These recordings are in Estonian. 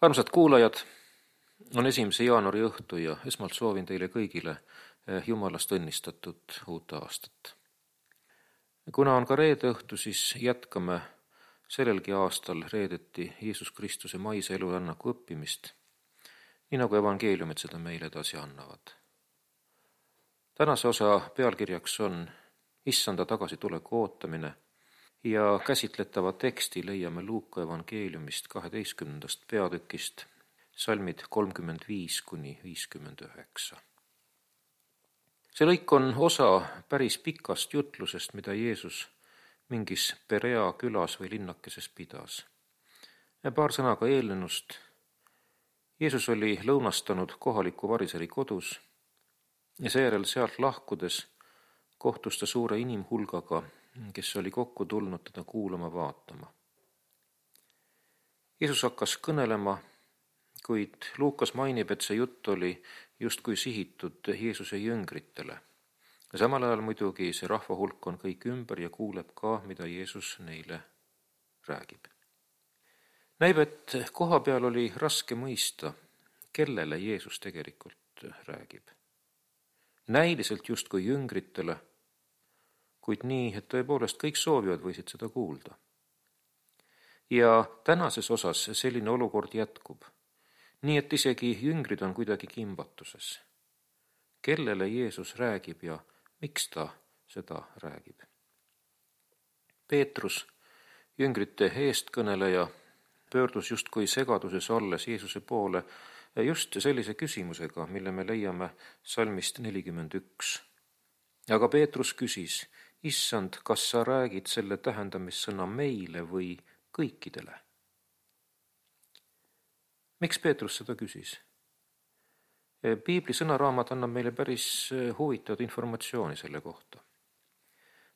Armsad kuulajad, on 1. jaanuari õhtu ja esmalt soovin teile kõigile Jumalast õnnistatud uut aastat. Kuna on ka reede õhtu, siis jätkame sellelgi aastal reedeti Jeesus Kristuse maise elurännaku õppimist, nii nagu evangeeliumid seda meile edasi annavad. Tänase osa pealkirjaks on Issanda tagasituleku ootamine ja käsitletava teksti leiame Luuka evangeeliumist 12. peatükist, salmid 35–59. See lõik on osa päris pikast jutlusest, mida Jeesus mingis Perea külas või linnakeses pidas. Paar sõna ka eelnenust. Jeesus oli lõunastanud kohaliku variseri kodus ja seejärel sealt lahkudes kohtus ta suure inimhulgaga, kes oli kokku tulnud teda kuulama vaatama. Jeesus hakkas kõnelema, kuid Luukas mainib, et see jutt oli justkui sihitud Jeesuse jüngritele. Samal ajal muidugi see rahvahulk on kõik ümber ja kuuleb ka, mida Jeesus neile räägib. Näib, et koha peal oli raske mõista, kellele Jeesus tegelikult räägib. Näiliselt justkui jüngritele, kuid nii, et tõepoolest kõik soovivad võisid seda kuulda. Ja tänases osas selline olukord jätkub, nii et isegi jüngrid on kuidagi kimbatuses. Kellele Jeesus räägib ja miks ta seda räägib? Peetrus, jüngrite eestkõneleja, pöördus justkui segaduses olles Jeesuse poole just sellise küsimusega, mille me leiame salmist 41. Aga Peetrus küsis: Issand, kas sa räägid selle tähendamissõna meile või kõikidele? Miks Peetrus seda küsis? Piibli sõnaraamat annab meile päris huvitavat informatsiooni selle kohta.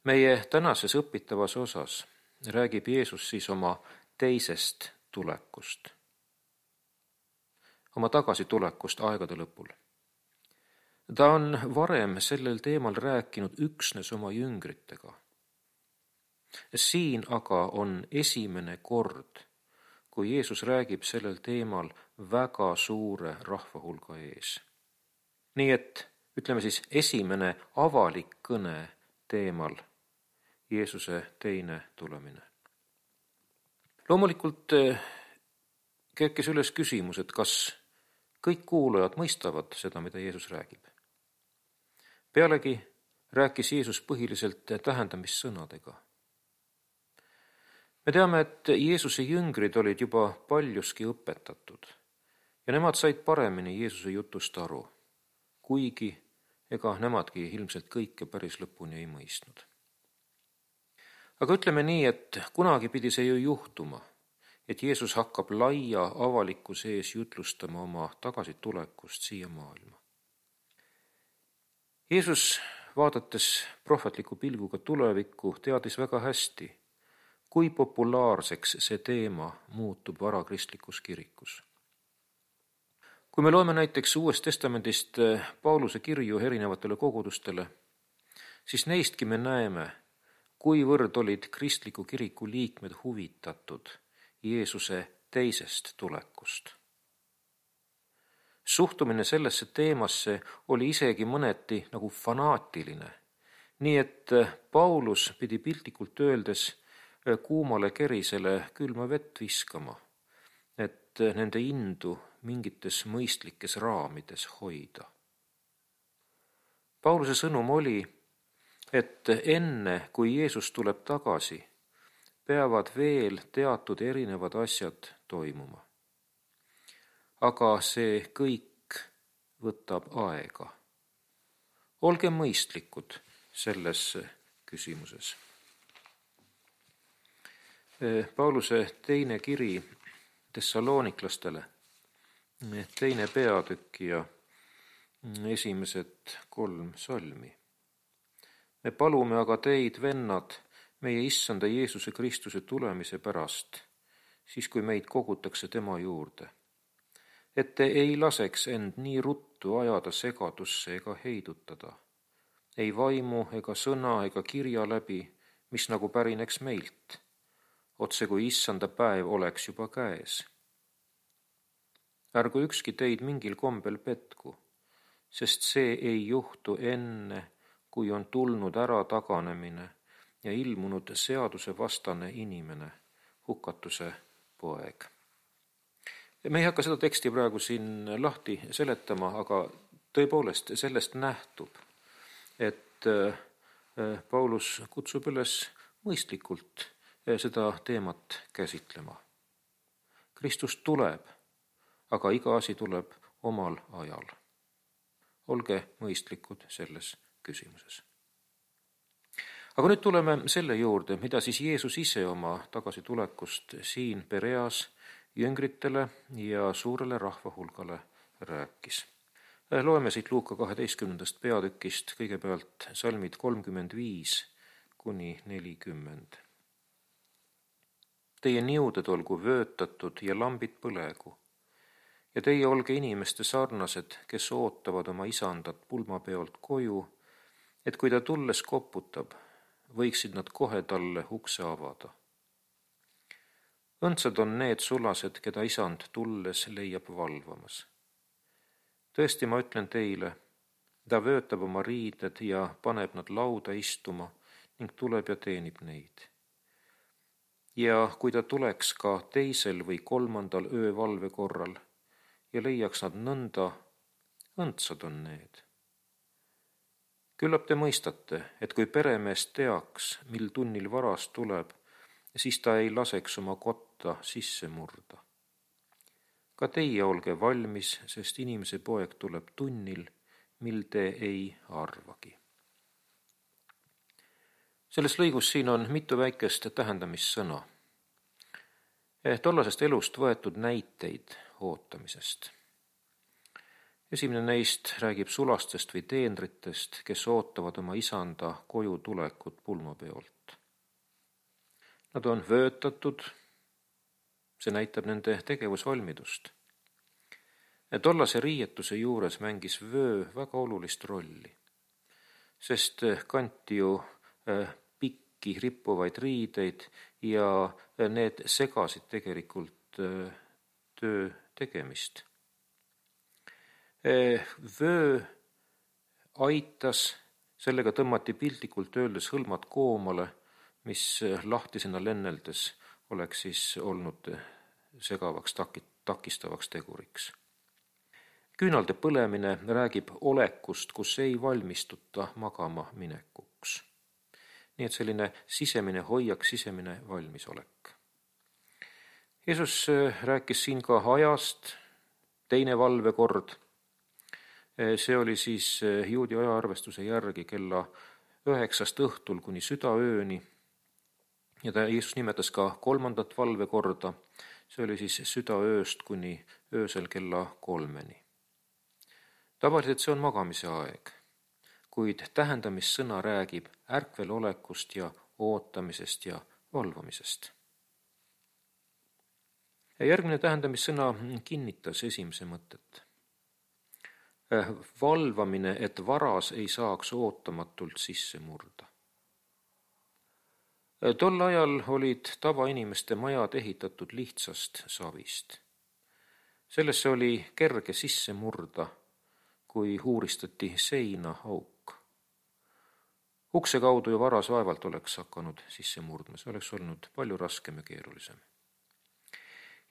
Meie tänases õpitavas osas räägib Jeesus siis oma teisest tulekust, oma tagasitulekust aegade lõpul. Ta on varem sellel teemal rääkinud üksnes oma jüngritega. Siin aga on esimene kord, kui Jeesus räägib sellel teemal väga suure rahvahulga ees. Nii et, ütleme siis, esimene avalik kõne teemal Jeesuse teine tulemine. Loomulikult kerkis üles küsimus, et kas kõik kuulajad mõistavad seda, mida Jeesus räägib. Pealegi rääkis Jeesus põhiliselt tähendamissõnadega. Me teame, et Jeesuse jüngrid olid juba paljuski õpetatud ja nemad said paremini Jeesuse jutust aru, kuigi ega nemadki ilmselt kõike päris lõpuni ei mõistnud. Aga ütleme nii, et kunagi pidi see ju juhtuma, et Jeesus hakkab laia avalikkuse ees jutlustama oma tagasitulekust siia maailma. Jeesus, vaadates prohvetliku pilguga tulevikku, teadis väga hästi, kui populaarseks see teema muutub varakristlikus kirikus. Kui me loeme näiteks Uuest Testamendist Pauluse kirju erinevatele kogudustele, siis neistki me näeme, kuivõrd olid kristliku kiriku liikmed huvitatud Jeesuse teisest tulekust. Suhtumine sellesse teemasse oli isegi mõneti nagu fanaatiline, nii et Paulus pidi piltlikult öeldes kuumale kerisele külma vett viskama, et nende indu mingites mõistlikes raamides hoida. Pauluse sõnum oli, et enne kui Jeesus tuleb tagasi, peavad veel teatud erinevad asjad toimuma. Aga see kõik võtab aega. Olge mõistlikud selles küsimuses. Pauluse teine kiri Thessaloniklastele, teine peatükk ja esimesed 3 salmi. Me palume aga teid, vennad, meie Issanda Jeesuse Kristuse tulemise pärast, siis kui meid kogutakse tema juurde, et te ei laseks end nii ruttu ajada segadusse ega heidutada, ei vaimu ega sõna ega kirja läbi, mis nagu pärineks meilt, otse kui Issanda päev oleks juba käes. ärgu ükski teid mingil kombel petku, sest see ei juhtu enne, kui on tulnud ära taganemine ja ilmunud seadusevastane inimene, hukatuse poeg. Me ei hakka seda teksti praegu siin lahti seletama, aga tõepoolest sellest nähtub, et Paulus kutsub üles mõistlikult seda teemat käsitlema. Kristus tuleb, aga iga asi tuleb omal ajal. Olge mõistlikud selles küsimuses. Aga nüüd tuleme selle juurde, mida siis Jeesus ise oma tagasitulekust siin Pereas jüngritele ja suurele rahvahulgale rääkis. Loeme siit Luuka 12. peatükist kõigepealt salmid 35 kuni 40. Teie niuded olgu vöötatud ja lambid põlegu, ja teie olge inimeste sarnased, kes ootavad oma isandat pulmapeolt koju, et kui ta tulles koputab, võiksid nad kohe talle ukse avada. Õndsad on need sulased, keda isand tulles leiab valvamas. Tõesti, ma ütlen teile, ta vöötab oma riided ja paneb nad lauda istuma ning tuleb ja teenib neid. Ja kui ta tuleks ka teisel või kolmandal öövalve korral ja leiaks nad nõnda, õndsad on need. Küllap te mõistate, et kui peremees teaks, mil tunnil varas tuleb, siis ta ei laseks oma kotta sisse murda. Ka teie olge valmis, sest inimese poeg tuleb tunnil, mil te ei arvagi. Selles lõigus siin on mitu väikest tähendamissõna. Tollasest elust võetud näiteid ootamisest. Esimene neist räägib sulastest või teenritest, kes ootavad oma isanda koju tulekut pulmapeolt. Nad on vöötatud, see näitab nende tegevusvalmidust. Tollase riietuse juures mängis vöö väga olulist rolli, sest kanti ju pikki rippuvaid riideid ja need segasid tegelikult töö tegemist. Vöö aitas, sellega tõmmati piltlikult öeldes hõlmad koomale, mis lahtisena lenneldes oleks siis olnud segavaks takistavaks teguriks. Küünalde põlemine räägib olekust, kus ei valmistuta magama minekuks. Nii et selline sisemine hoiak, sisemine valmisolek. Jeesus rääkis siin ka ajast, teine valvekord. See oli siis juudi ajaarvestuse järgi kella 9 õhtul kuni südaööni. Ja Jeesus nimetas ka kolmandat valvekorda, see oli siis südaööst kuni öösel kella 3. Tavaliselt see on magamise aeg, kuid tähendamissõna räägib ärkvelolekust ja ootamisest ja valvamisest. Järgmine tähendamissõna kinnitas esimese mõtet. Valvamine, et varas ei saaks ootamatult sisse murda. Tol ajal olid tavainimeste majad ehitatud lihtsast savist. Sellesse oli kerge sisse murda, kui uuristati seina auk. Ukse kaudu ju varas vaevalt oleks hakanud sisse murdma, see oleks olnud palju raskem ja keerulisem.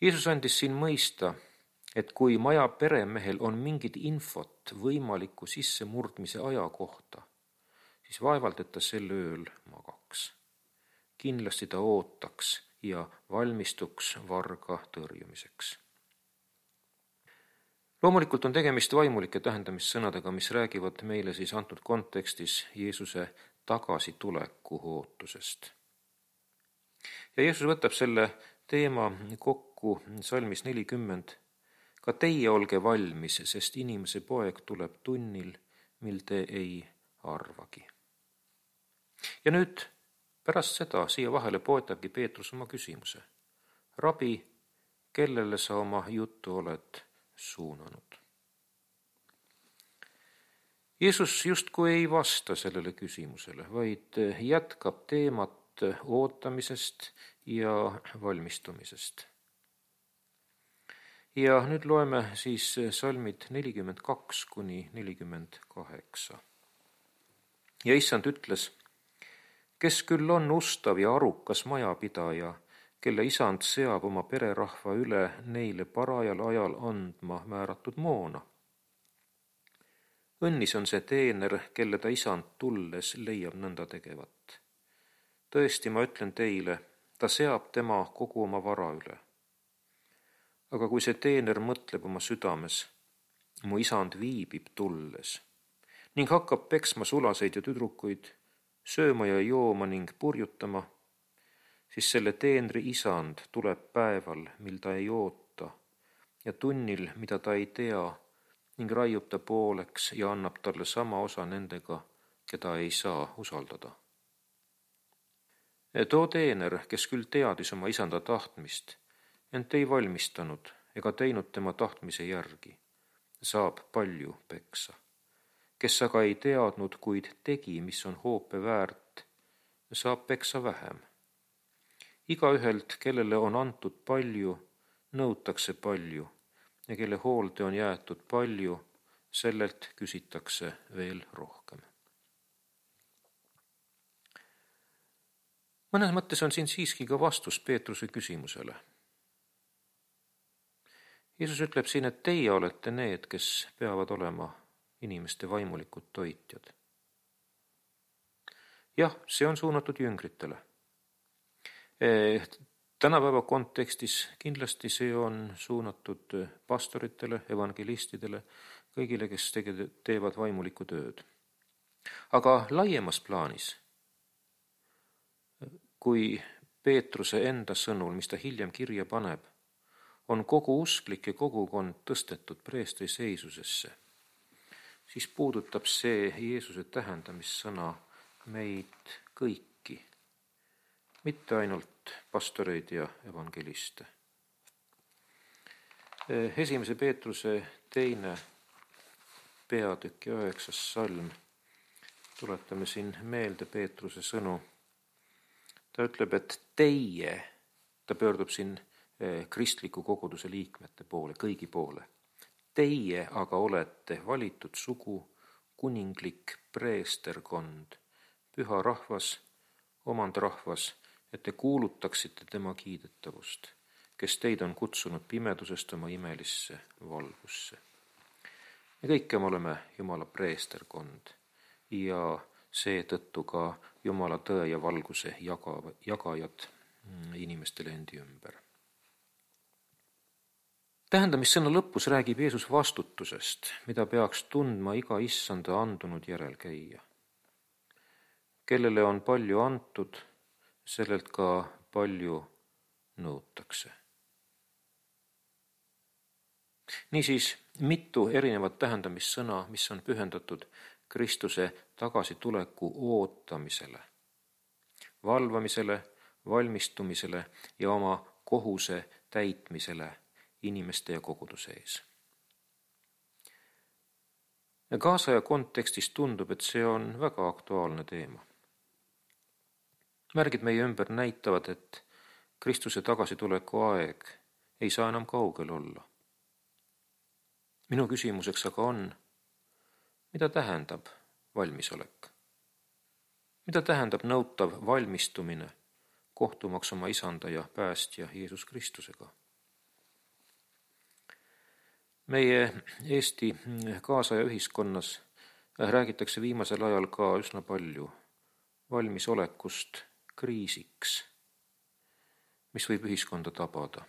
Jeesus andis siin mõista, et kui maja peremehel on mingid infot võimaliku sissemurdmise aja kohta, siis vaevalt, et ta sel ööl magaks. Kindlasti ta ootaks ja valmistuks varga tõrjumiseks. Loomulikult on tegemist vaimulike tähendamissõnadega, mis räägivad meile siis antud kontekstis Jeesuse tagasituleku ootusest. Ja Jeesus võtab selle teema kokku salmis 40. Ka teie olge valmis, sest inimese poeg tuleb tunnil, mil te ei arvagi. Ja nüüd pärast seda siia vahele poetabki Peetrus oma küsimuse. Rabi, kellele sa oma juttu oled suunanud? Jeesus justkui ei vasta sellele küsimusele, vaid jätkab teemat ootamisest ja valmistumisest. Ja nüüd loeme siis salmid 42 kuni 48. Ja issand ütles, kes küll on ustav ja arukas majapidaja, kelle isand seab oma pererahva üle neile parajal ajal andma määratud moona. Õnnis on see teener, kelle ta isand tulles leiab nõnda tegevat. Tõesti, ma ütlen teile, ta seab tema kogu oma vara üle. Aga kui see teener mõtleb oma südames, mu isand viibib tulles ning hakkab peksma sulaseid ja tüdrukuid, sööma ja jooma ning purjutama, siis selle teenri isand tuleb päeval, mil ta ei oota, ja tunnil, mida ta ei tea, ning raiub ta pooleks ja annab talle sama osa nendega, keda ei saa usaldada. Too teener, kes küll teadis oma isanda tahtmist, ent ei valmistanud ega teinud tema tahtmise järgi, saab palju peksa. Kes aga ei teadnud, kuid tegi, mis on hoope väärt, saab peksa vähem. Igaühelt, kellele on antud palju, nõutakse palju, ja kelle hoolde on jäetud palju, sellelt küsitakse veel rohkem. Mõnes mõttes on siin siiski ka vastus Peetruse küsimusele. Jeesus ütleb siin, et teie olete need, kes peavad olema inimeste vaimulikud toitjad. Jah, see on suunatud jüngritele. Tänapäeva kontekstis kindlasti see on suunatud pastoritele, evangelistidele, kõigile, kes teevad vaimulikku tööd. Aga laiemas plaanis, kui Peetruse enda sõnul, mis ta hiljem kirja paneb, on kogu usklik ja kogukond tõstetud preestri seisusesse, siis puudutab see Jeesuse tähendamissõna meid kõiki, mitte ainult pastoreid ja evangeliste. Esimese Peetruse 2. peatükk ja 9. salm. Tuletame siin meelde Peetruse sõnu. Ta ütleb, et teie, ta pöördub siin kristliku koguduse liikmete poole, kõigi poole. Teie aga olete valitud sugu, kuninglik preesterkond, püha rahvas, omandrahvas, et te kuulutaksite tema kiidetavust, kes teid on kutsunud pimedusest oma imelisse valgusse. Me kõik me oleme Jumala preesterkond ja seetõttu ka Jumala tõe ja valguse jagajad inimestele endi ümber. Tähendamissõna lõpus räägib Jeesus vastutusest, mida peaks tundma iga issanda andunud järelkäija. Kellele on palju antud, sellelt ka palju nõutakse. Niisiis, mitu erinevat tähendamissõna, mis on pühendatud Kristuse tagasituleku ootamisele, valvamisele, valmistumisele ja oma kohuse täitmisele inimeste ja koguduse ees. Kaasaja kontekstis tundub, et see on väga aktuaalne teema. Märgid meie ümber näitavad, et Kristuse tagasituleku aeg ei saa enam kaugel olla. Minu küsimuseks aga on, mida tähendab valmisolek? Mida tähendab nõutav valmistumine kohtumaks oma isanda ja päästja Jeesus Kristusega? Meie Eesti kaasaja ühiskonnas räägitakse viimasel ajal ka üsna palju valmisolekust kriisiks, mis võib ühiskonda tabada.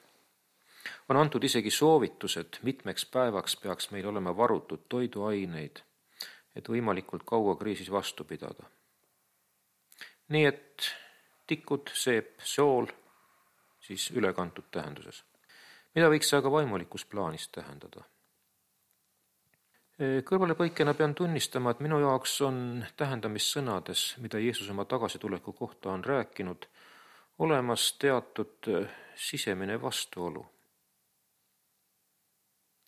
On antud isegi soovitused, mitmeks päevaks peaks meil olema varutud toiduaineid, et võimalikult kaua kriisis vastu pidada. Nii et tikud, seep, sool, siis ülekantud tähenduses. Mida võiks see aga vaimulikus plaanis tähendada? Kõrvalepõikena pean tunnistama, et minu jaoks on tähendamissõnades, mida Jeesus oma tagasituleku kohta on rääkinud, olemas teatud sisemine vastuolu.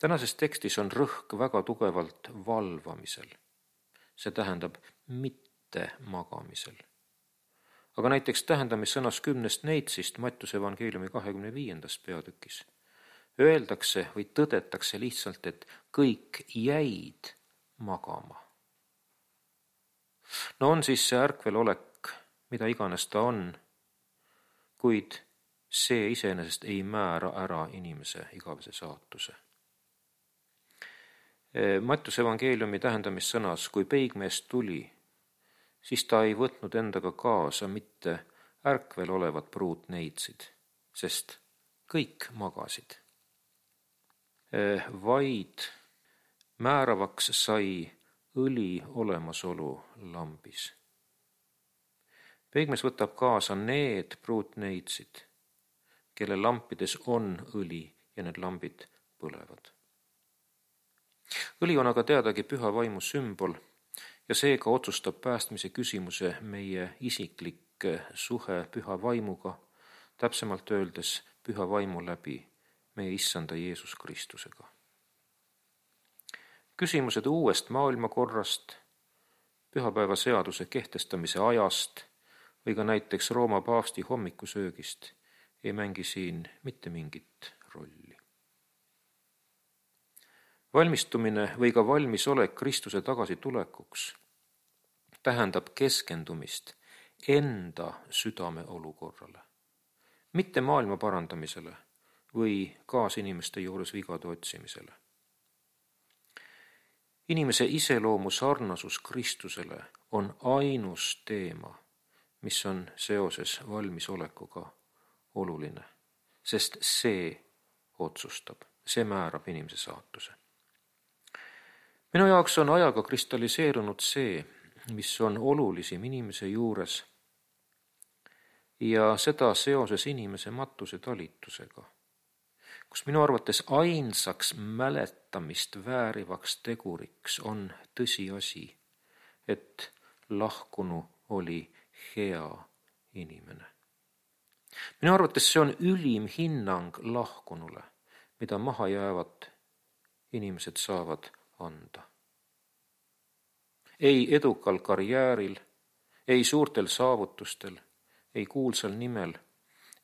Tänases tekstis on rõhk väga tugevalt valvamisel. See tähendab mitte magamisel. Aga näiteks tähendamissõnas 10. neitsist Mattuse evangeeliumi 25. peatükis öeldakse või tõdetakse lihtsalt, et kõik jäid magama. No on siis see ärkvelolek, mida iganes ta on, kuid see iseenesest ei määra ära inimese igavese saatuse. Mattiuse evangeeliumi tähendamissõnas, kui peigmees tuli, siis ta ei võtnud endaga kaasa mitte ärkvel olevat pruutneitsid, sest kõik magasid, vaid määravaks sai õli olemasolu lambis. Peigmees võtab kaasa need pruutneitsid, kelle lampides on õli ja need lambid põlevad. Õli on aga teadagi püha vaimu sümbol ja seega otsustab päästmise küsimuse meie isiklik suhe püha vaimuga, täpsemalt öeldes püha vaimu läbi meie issanda Jeesus Kristusega. Küsimused uuest maailmakorrast, pühapäeva seaduse kehtestamise ajast või ka näiteks Rooma paavsti hommikusöögist ei mängi siin mitte mingit rolli. Valmistumine või ka valmisolek Kristuse tagasitulekuks tähendab keskendumist enda südame olukorrale, mitte maailma parandamisele või kaasinimeste juures vigade otsimisele. Inimese iseloomu sarnasus Kristusele on ainus teema, mis on seoses valmisolekuga oluline, sest see otsustab, see määrab inimese saatuse. Minu jaoks on ajaga kristalliseerunud see, mis on olulisim inimese juures ja seda seoses inimese matuse talitusega, kus minu arvates ainsaks mäletamist väärivaks teguriks on tõsiasi, et lahkunu oli hea inimene. Minu arvates see on ülim hinnang lahkunule, mida maha jäävad inimesed saavad anda. Ei edukal karjääril, ei suurtel saavutustel, ei kuulsal nimel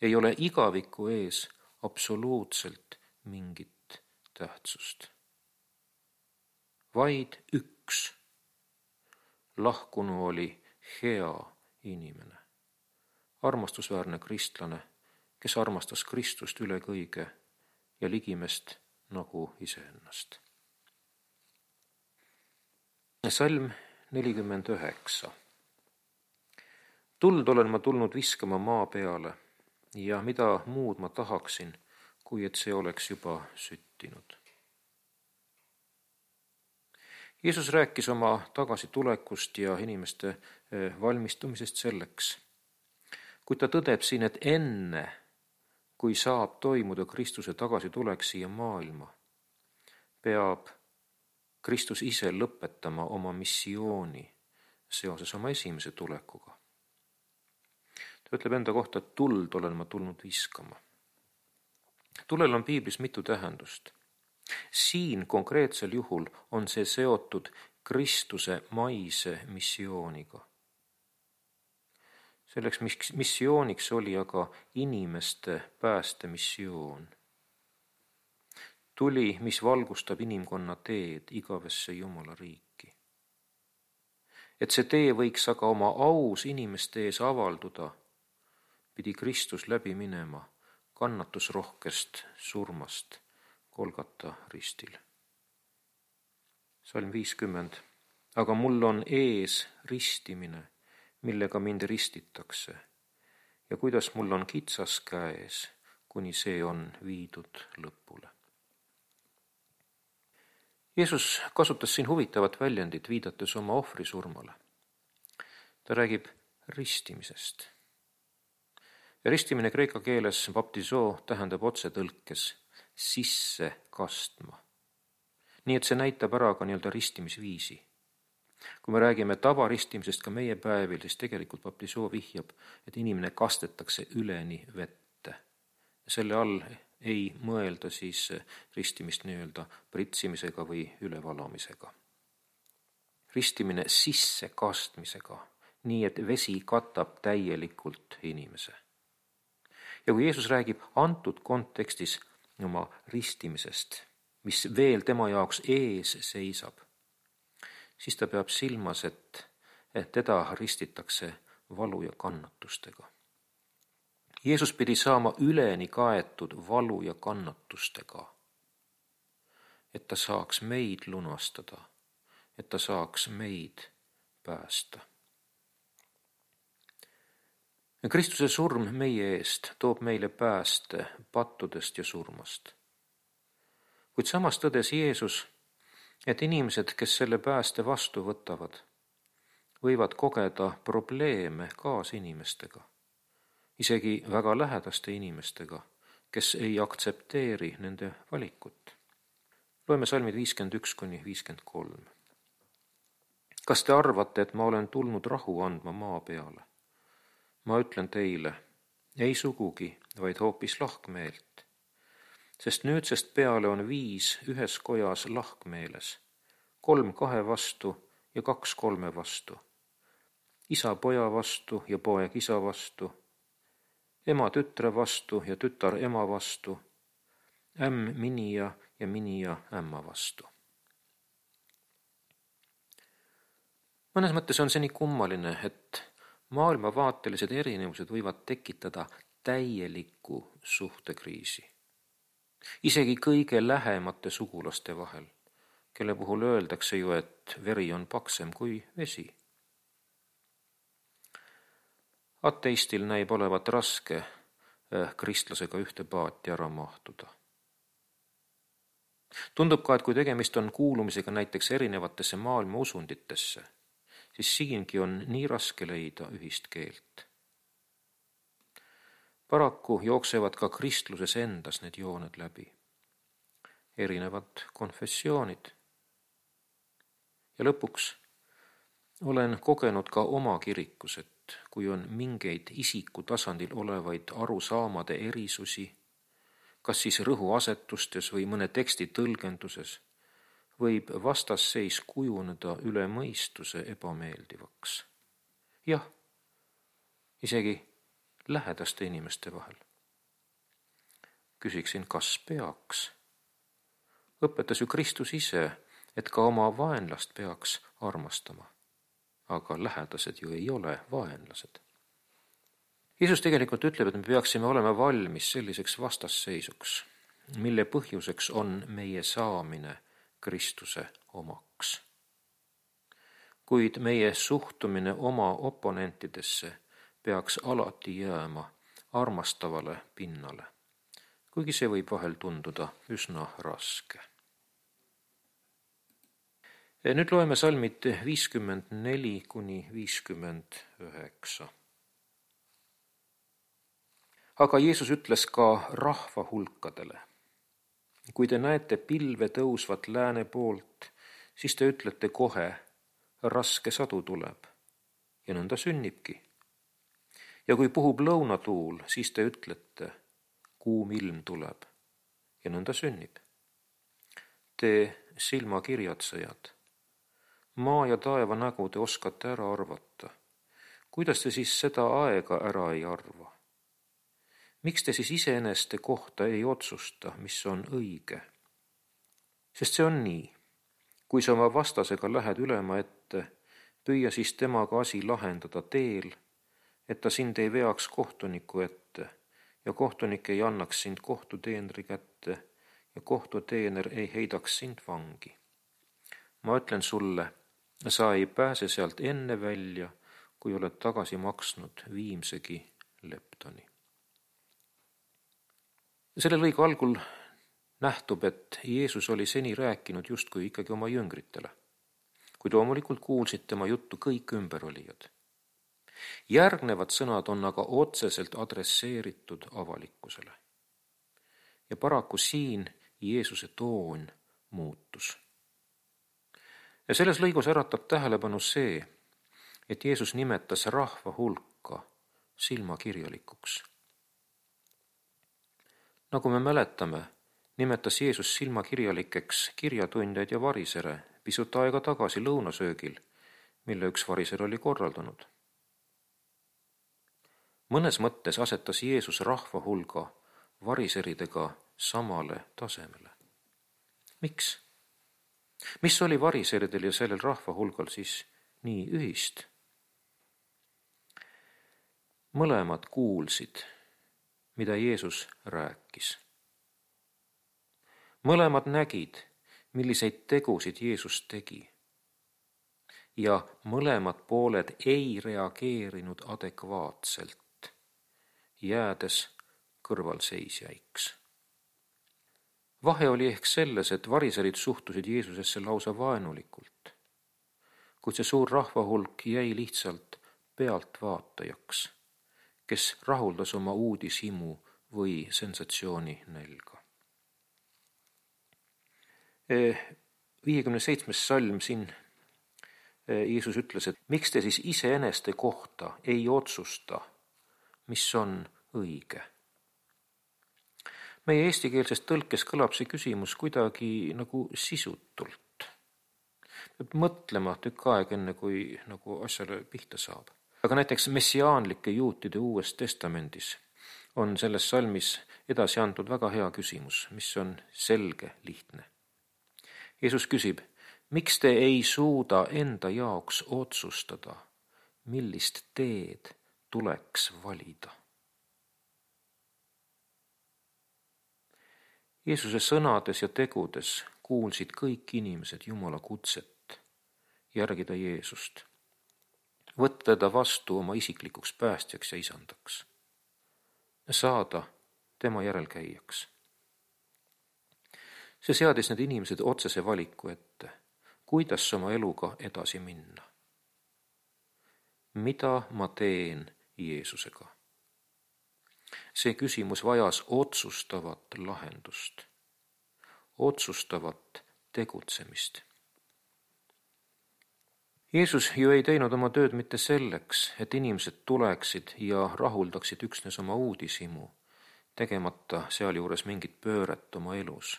ei ole igaviku ees absoluutselt mingit tähtsust. Vaid üks. Lahkunu oli hea inimene, armastusväärne kristlane, kes armastas Kristust üle kõige ja ligimest nagu iseennast. Salm 49. Tuld olen ma tulnud viskama maa peale ja mida muud ma tahaksin, kui et see oleks juba süttinud. Jeesus rääkis oma tagasitulekust ja inimeste valmistumisest selleks, kuid ta tõdeb siin, et enne, kui saab toimuda Kristuse tagasitulek siia maailma, peab Kristus ise lõpetama oma missiooni seoses oma esimese tulekuga. Ta ütleb enda kohta, et tuld olen ma tulnud viskama. Tulel on piiblis mitu tähendust. Siin konkreetsel juhul on see seotud Kristuse maise missiooniga. Selleks missiooniks oli aga inimeste päästemissioon. Tuli, mis valgustab inimkonna teed igavesse Jumala riiki. Et see tee võiks aga oma aus inimeste ees avalduda, pidi Kristus läbi minema kannatusrohkest surmast Golgata ristil. Salm 50. Aga mul on ees ristimine, millega mind ristitakse, ja kuidas mul on kitsas käes, kuni see on viidud lõpule. Jeesus kasutas siin huvitavat väljendit, viidates oma ohvrisurmale. Ta räägib ristimisest. Ja ristimine kreeka keeles baptizo tähendab otsetõlkes sisse kastma. Nii et see näitab ära ka nii-öelda ristimisviisi. Kui me räägime tavaristimisest ka meie päevil, siis tegelikult baptizo vihjab, et inimene kastetakse üleni vette. Selle all ei mõelda siis ristimist nii-öelda pritsimisega või ülevalamisega. Ristimine sisse kastmisega, nii et vesi katab täielikult inimese. Ja kui Jeesus räägib antud kontekstis oma ristimisest, mis veel tema jaoks ees seisab, siis ta peab silmas, et teda ristitakse valu ja kannatustega. Jeesus pidi saama üleni kaetud valu ja kannatustega, et ta saaks meid lunastada, et ta saaks meid päästa. Kristuse surm meie eest toob meile pääste pattudest ja surmast. Kuid samas tõdes Jeesus, et inimesed, kes selle pääste vastu võtavad, võivad kogeda probleeme kaasinimestega, isegi väga lähedaste inimestega, kes ei aktsepteeri nende valikut. Loeme salmid 51–53. Kas te arvate, et ma olen tulnud rahu andma maa peale? Ma ütlen teile, ei sugugi, vaid hoopis lahkmeelt. Sest nüüdsest peale on 5 ühes kojas lahkmeeles, 3 2 vastu ja 2 3 vastu. Isa poja vastu ja poeg isa vastu, ema tütre vastu ja tütar ema vastu, ämm minija ja minija ämma vastu. Mõnes mõttes on see nii kummaline, et maailmavaatelised erinevused võivad tekitada täieliku suhtekriisi. Isegi kõige lähemate sugulaste vahel, kelle puhul öeldakse ju, et veri on paksem kui vesi. Ateistil näib olevat raske kristlasega ühte paati ära mahtuda. Tundub ka, et kui tegemist on kuulumisega näiteks erinevatesse maailma usunditesse, siis siingi on nii raske leida ühist keelt. Paraku jooksevad ka kristluses endas need jooned läbi. Erinevad konfessioonid. Ja lõpuks olen kogenud ka oma kirikus, et kui on mingeid isiku tasandil olevaid arusaamade erisusi, kas siis rõhuasetustes või mõne teksti tõlgenduses, võib vastasseis kujuneda üle mõistuse ebameeldivaks. Jah, isegi lähedaste inimeste vahel. Küsiksin, kas peaks? Õpetas ju Kristus ise, et ka oma vaenlast peaks armastama. Aga lähedased ju ei ole vaenlased. Jeesus tegelikult ütleb, et me peaksime olema valmis selliseks vastasseisuks, mille põhjuseks on meie saamine Kristuse omaks. Kuid meie suhtumine oma oponentidesse peaks alati jääma armastavale pinnale, kuigi see võib vahel tunduda üsna raske. Nüüd loeme salmid 54–59. Aga Jeesus ütles ka rahva hulkadele. Kui te näete pilve tõusvat lääne poolt, siis te ütlete kohe, raske sadu tuleb, ja nõnda sünnibki. Ja kui puhub lõunatuul, siis te ütlete, kuum ilm tuleb, ja nõnda sünnib. Te silmakirjatsejad, maa ja taeva nägu te oskate ära arvata. Kuidas te siis seda aega ära ei arva? Miks te siis iseeneste kohta ei otsusta, mis on õige? Sest see on nii. Kui sa oma vastasega lähed ülema ette, püüa siis temaga asi lahendada teel, et ta sind ei veaks kohtuniku ette ja kohtunik ei annaks sind kohtuteenri kätte ja kohtuteener ei heidaks sind vangi. Ma ütlen sulle, sa ei pääse sealt enne välja, kui oled tagasi maksnud viimsegi leptoni. Selle lõigu algul nähtub, et Jeesus oli seni rääkinud justkui ikkagi oma jüngritele, kuid loomulikult kuulsid tema juttu kõik ümberolijad. Järgnevad sõnad on aga otseselt adresseeritud avalikkusele. Ja paraku siin Jeesuse toon muutus. Ja selles lõigus äratab tähelepanu see, et Jeesus nimetas rahva hulka silmakirjalikuks. Nagu me mäletame, nimetas Jeesus silmakirjalikeks kirjatundjaid ja varisere pisut aega tagasi lõunasöögil, mille üks variser oli korraldanud. Mõnes mõttes asetas Jeesus rahva hulga variseridega samale tasemele. Miks? Mis oli variseeridel ja sellel rahva hulgal siis nii ühist? Mõlemad kuulsid, mida Jeesus rääkis. Mõlemad nägid, milliseid tegusid Jeesus tegi. Ja mõlemad pooled ei reageerinud adekvaatselt, jäädes kõrvalseisjaiks. Vahe oli ehk selles, et variserid suhtusid Jeesusesse lausa vaenulikult, kuid see suur rahvahulk jäi lihtsalt pealtvaatajaks, kes rahuldas oma uudishimu või sensatsiooni nälga. 57. salm siin Jeesus ütles, et miks te siis iseeneste kohta ei otsusta, mis on õige. Meie eestikeelses tõlkes kõlab see küsimus kuidagi nagu sisutult. Peab mõtlema tükk aeg enne, kui nagu asjale pihta saab. Aga näiteks messiaanlike juutide Uues Testamendis on selles salmis edasi antud väga hea küsimus, mis on selge, lihtne. Jeesus küsib, miks te ei suuda enda jaoks otsustada, millist teed tuleks valida? Jeesuse sõnades ja tegudes kuulsid kõik inimesed Jumala kutset järgida Jeesust, võtta teda vastu oma isiklikuks päästjaks ja isandaks, saada tema järelkäijaks. See seadis need inimesed otsese valiku ette, kuidas oma eluga edasi minna. Mida ma teen Jeesusega? See küsimus vajas otsustavat lahendust, otsustavat tegutsemist. Jeesus ju ei teinud oma tööd mitte selleks, et inimesed tuleksid ja rahuldaksid üksnes oma uudishimu, tegemata sealjuures mingit pööret oma elus.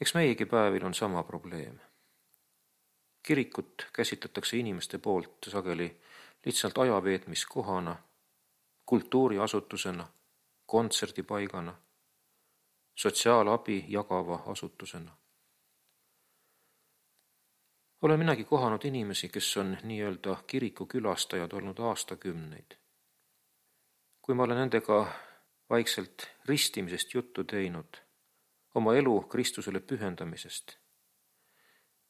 Eks meiegi päevil on sama probleem. Kirikut käsitletakse inimeste poolt sageli lihtsalt ajaveetmiskohana, kultuuriasutusena, kontserdipaigana, sotsiaalabi jagava asutusena. Olen minagi kohanud inimesi, kes on nii-öelda kirikukülastajad olnud aastakümneid. Kui ma olen nendega vaikselt ristimisest juttu teinud, oma elu Kristusele pühendamisest,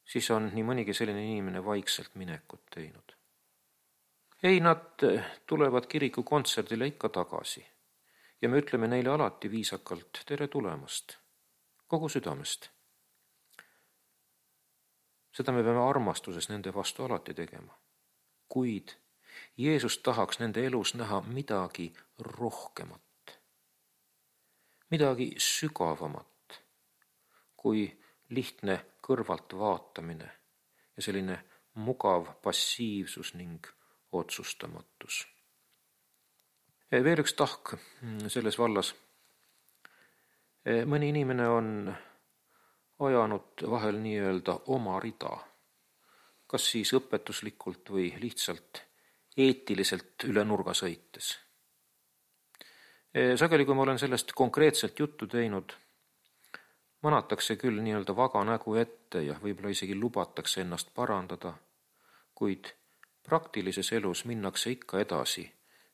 siis on nii mõnigi selline inimene vaikselt minekut teinud. Ei, nad tulevad kirikukontserdile ikka tagasi ja me ütleme neile alati viisakalt tere tulemast, kogu südamest. Seda me peame armastuses nende vastu alati tegema. Kuid Jeesus tahaks nende elus näha midagi rohkemat, midagi sügavamat, kui lihtne kõrvalt vaatamine ja selline mugav passiivsus ning otsustamatus. Veel üks tahk selles vallas. Mõni inimene on ajanud vahel nii-öelda oma rida, kas siis õpetuslikult või lihtsalt eetiliselt üle nurga sõites. Sageli, kui ma olen sellest konkreetselt juttu teinud, manatakse küll nii-öelda vaga nägu ette ja võib-olla isegi lubatakse ennast parandada, kuid praktilises elus minnakse ikka edasi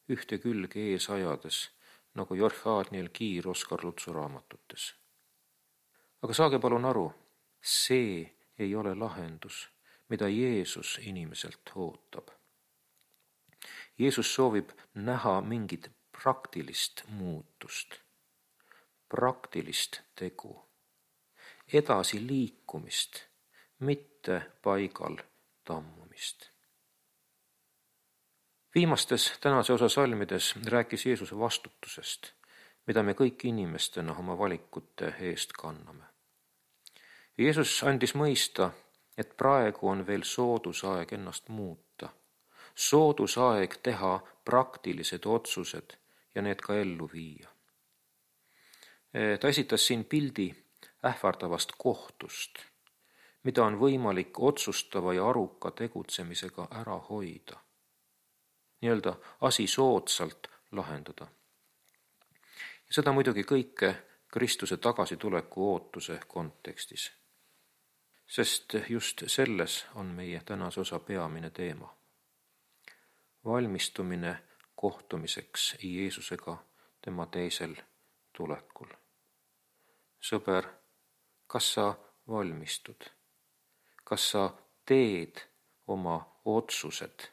ühte külge ees ajades, nagu Jorh Kiir Oskar Lutsu raamatutes. Aga saage palun aru, see ei ole lahendus, mida Jeesus inimeselt ootab. Jeesus soovib näha mingit praktilist muutust, praktilist tegu, edasi liikumist, mitte paigal tammumist. Viimastes tänase osa salmides rääkis Jeesuse vastutusest, mida me kõik inimestena oma valikute eest kanname. Jeesus andis mõista, et praegu on veel soodusaeg ennast muuta, soodusaeg teha praktilised otsused ja need ka ellu viia. Ta esitas siin pildi ähvardavast kohtust, mida on võimalik otsustava ja aruka tegutsemisega ära hoida, nii-öelda asi soodsalt lahendada. Ja seda muidugi kõike Kristuse tagasituleku ootuse kontekstis. Sest just selles on meie tänase osa peamine teema. Valmistumine kohtumiseks Jeesusega tema teisel tulekul. Sõber, kas sa valmistud? Kas sa teed oma otsused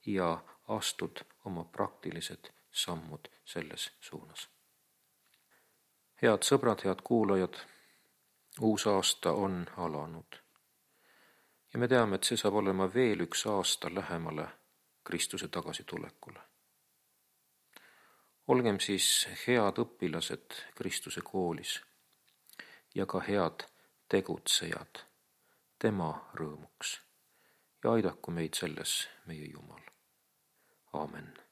ja astud oma praktilised sammud selles suunas? Head sõbrad, head kuulajad, uus aasta on alanud. Ja me teame, et see saab olema veel üks aasta lähemale Kristuse tagasitulekule. Olgem siis head õpilased Kristuse koolis ja ka head tegutsejad tema rõõmuks ja aidaku meid selles meie Jumal. Aamen.